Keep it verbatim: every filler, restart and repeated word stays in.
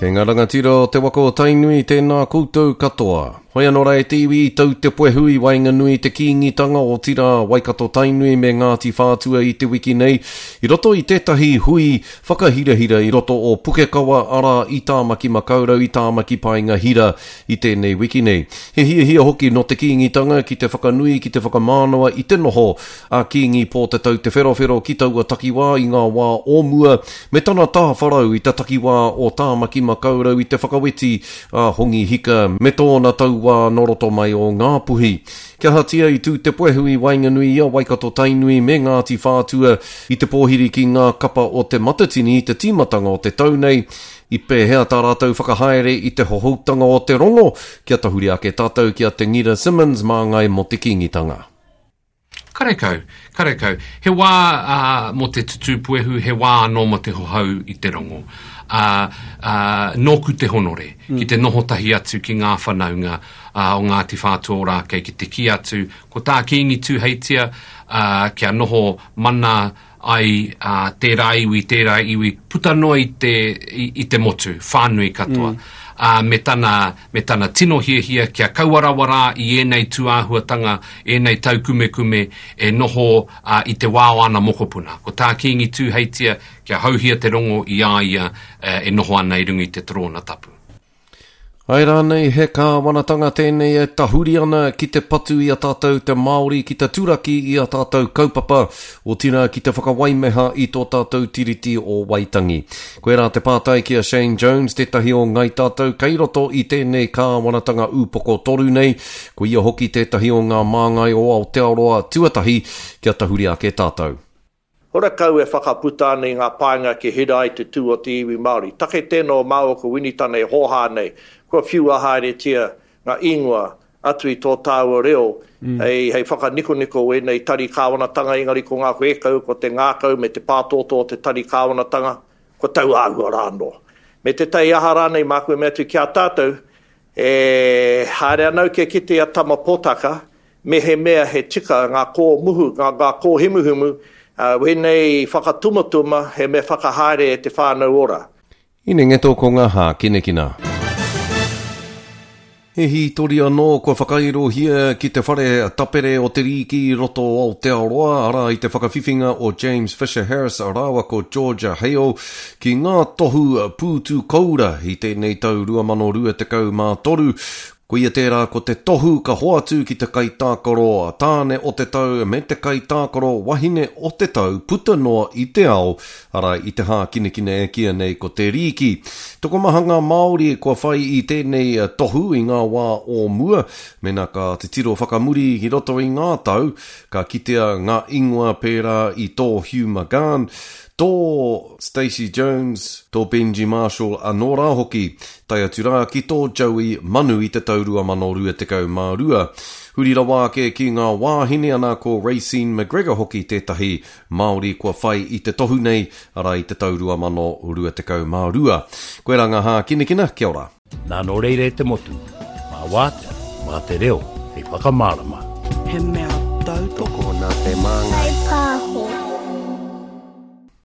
Kei ngā rangatira o te waka o Tainui, tēnā koutou katoa. Hoi anō rā e te iwi i tau te puehu i waenganui i te Kīngitanga, otirā Waikato Tainui me Ngāti Whātua i te wiki nei, i roto i tētahi hui whakahirahira i roto o Pukekawa, arā i Tāmaki Makaurau, i Tāmaki Paenga Hira i tēnei wiki nei. He hiahia hoki nō te Kīngitanga ki te whakanui, ki te whakamānawa i te noho a Kīngi Pōtatau Te Wherowhero ki taua takiwā i ngā wā o mua, me tana tāwharau i te takiwā o Tāmaki Makaurau i te whakaweti a Hongi Hika me tōna tauā nō roto mai o Ngāpuhi. Kia ahatia i tū te puehu i waenganui i a Waikato Tainui me Ngāti Whātua i te pōhiri ki ngā kapa o Te Matatini i te tīmatanga o te tau nei, i pēhea tā rātou whakahaere i te hohoutanga o te rongo, kia tahuri ake tātou ki a Te Ngira Simmons māngai mō te Kīngitanga. Karekau, karekau. He wā uh, mō te tutū puehu, he wā anō mō te hohou i te rongo. Uh, uh, nōku te honore, mm. ki te noho tahi atu ki ngā whanaunga uh, o Ngāti Whātua Ōrākei, ki te kī atu, ko tā Kīngi Tūheitia, uh, kia noho mana ai uh, tērā iwi, tērā iwi, puta noa i te, i, i te motu, whānui katoa. Mm. Uh, me, tana, me tana tino hiahia kia kaua rawa rā i ēnei tūāhuatanga, ēnei taukumekume e noho uh, i te wā o ana mokopuna. Ko tā Kīngi Tūheitia, kia hauhia te rongo i a ia uh, e noho ana i runga i te torōna tapu. Ai rānei he kāwanatanga tēnei e tahuri ana ki te patu i a tātou te Māori, ki te turaki i a tātou kaupapa, otirā ki te whakawaimeha i tō tātou Tiriti o Waitangi. Koirā te pātai ki a Shane Jones, tētahi o ngai tātou kei roto i tēnei kāwanatanga ūpoko toru nei, ko ia hoki tētahi o ngā māngai o Aotearoa tuatahi kia tahuri ake tātou. Horakau e whakaputa ana i ngā painga ki hira ai te tū o te iwi Māori. Take tēnā o māua ko Winitana e hōhā nei, kua whiua haeretia ngā ingoa atu i tō tāua reo, mm. hei, hei whakanikoniko ēnei tari kāwanatanga, engari ko ngā whēkau, ko te ngākau me te pātōtō o te tari kāwanatanga, ko tau āhua rā anō. Me te tai aha rānei māku e mea atu ki a tātou, e haere ana au kia kite a Tama Potaka, me he mea he tika ngā kōmuhu, ngā, ngā kōhimuhimu, Uh, wēnei whakatumatuma he mea whakahaere e te whānau ora. Inengeto ko ngā hākinakina. He hītori anō kua whakairohia ki te whare tapere o te rīki i roto o Aotearoa, arā i te whakawhiwhinga o James Fisher Harris rāua ko Georgia Hale ki ngā tohu pūtu koura i tēnei tau rua mano rua tekau mā toru. Koia tērā ko te tohu ka hoatu ki te kaitākaro tāne o te tau me te kaitākaro wahine o te tau puta noa i te ao, arā i te hākinakina e kīia nei ko te rīki. Tokomaha ngā Māori kua whai i tēnei tohu i ngā wā o mua, mēnā ka titiro whakamuri ki roto i ngā tau, ka kitea ngā ingoa pērā i tō Hugh McGahan, tō Stacey Jones, tō Benji Marshall anō rā hoki, tae atu rā ki tō Joey Manu i te tau rua mano rua tekau mā rua. Huri rawa ake ki ngā wāhine ana ko Raecene McGregor hoki tētahi Māori kua whai i te tohu nei, arā i te tau rua mano rua tekau mā rua. Koirā ngā hākinakina, kia ora. Nā nō reira e te motu, mā wātea, mā te reo, hei whakamārama. He mea tautoko. Tokona te māngai.